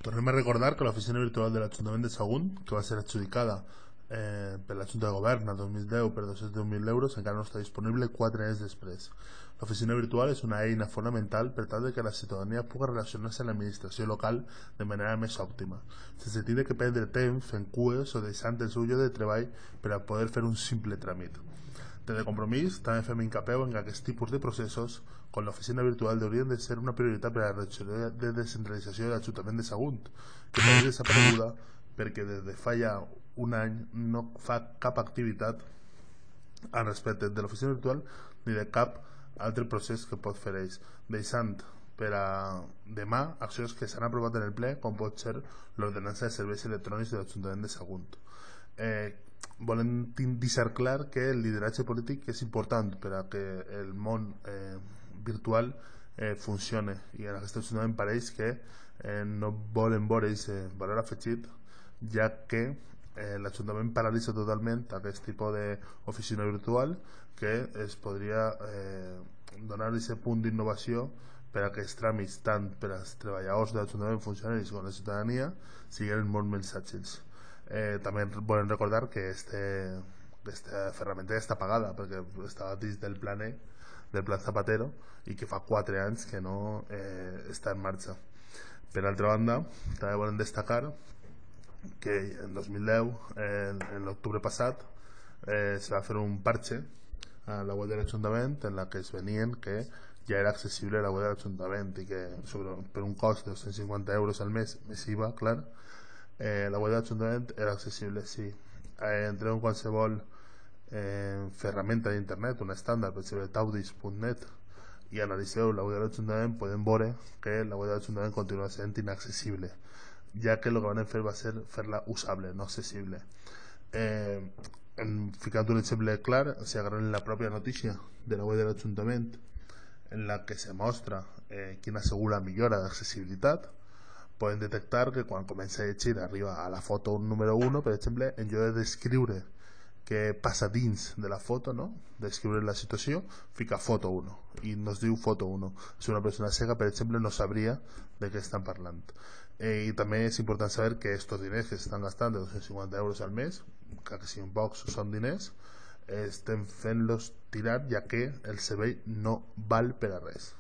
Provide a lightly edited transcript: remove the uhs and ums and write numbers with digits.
Tornem a recordar que l'oficina virtual de l'Ajuntament de Sagunt, que va ser adjudicada per la Junta de Govern el 2010 per 210.000 euros, encara no està disponible 4 anys després. L'oficina virtual és una eina fonamental per tal de que la ciutadania pugui relacionar-se amb l'administració local de manera més òptima, sense tenir que perdre temps fent cues o deixant el seu lloc de treball per a poder fer un simple tràmit. Des de Compromís també fem hincapié en que aquest tipus de processos, com l'oficina virtual, haurien de ser una prioritat per a la regió de descentralització de l'Ajuntament de Sagunt, que està desapareguda perquè des de fa ja un any no fa cap activitat al respecte de l'oficina virtual ni de cap altre procés que pot fer ells, deixant per a demà accions que s'han aprovat en el ple, com pot ser l'ordenança de serveis electrònics de l'Ajuntament de Sagunt. Volem deixar clar que el lideratge polític és important per a que el món virtual funcione, i en aquest ajuntament pareix que no volen veure aquest valor afegit, ja que l'Ajuntament paralitza totalment aquest tipus d'oficina virtual que es podria donar aquest punt d'innovació per a que els tràmits tant per als treballadors de l'Ajuntament, funcionaris com la ciutadania, siguin molt més àgils. També volem recordar que aquesta ferramenta ja està pagada perquè estava dins del plan Zapatero i que fa 4 anys que no està en marxa. Per altra banda, també volem destacar que en 2010, en l'octubre passat, se va fer un parche a la web de l'Ajuntament en la que es venien que ja era accessible a la web de l'Ajuntament i que per un cost de 250 euros al mes, més IVA, clar, la web de l'Ajuntament era accessible, sí. Entreu en qualsevol ferramenta d'internet, un estàndard, per exemple taudis.net, i analitzeu la web de l'Ajuntament, podem veure que la web de l'Ajuntament continua sent inaccessible, ja que el que van fer va ser fer-la usable, no accessible. Ficant un exemple clar, si agarrem la pròpia notícia de la web de l'Ajuntament, en la que se mostra quina ha sigut la millora d'accessibilitat, podem detectar que quan comença a llegir arriba a la foto número 1, per exemple, en lloc de descriure què passa dins de la foto, no? Descriure la situació, fica foto 1 i nos diu foto 1. Si una persona cega, per exemple, no sabria de què estan parlant. I també és important saber que aquests diners que s'estan gastant de 250 euros al mes, que siguin pocs són diners, estem fent-los tirar, ja que el servei no val per a res.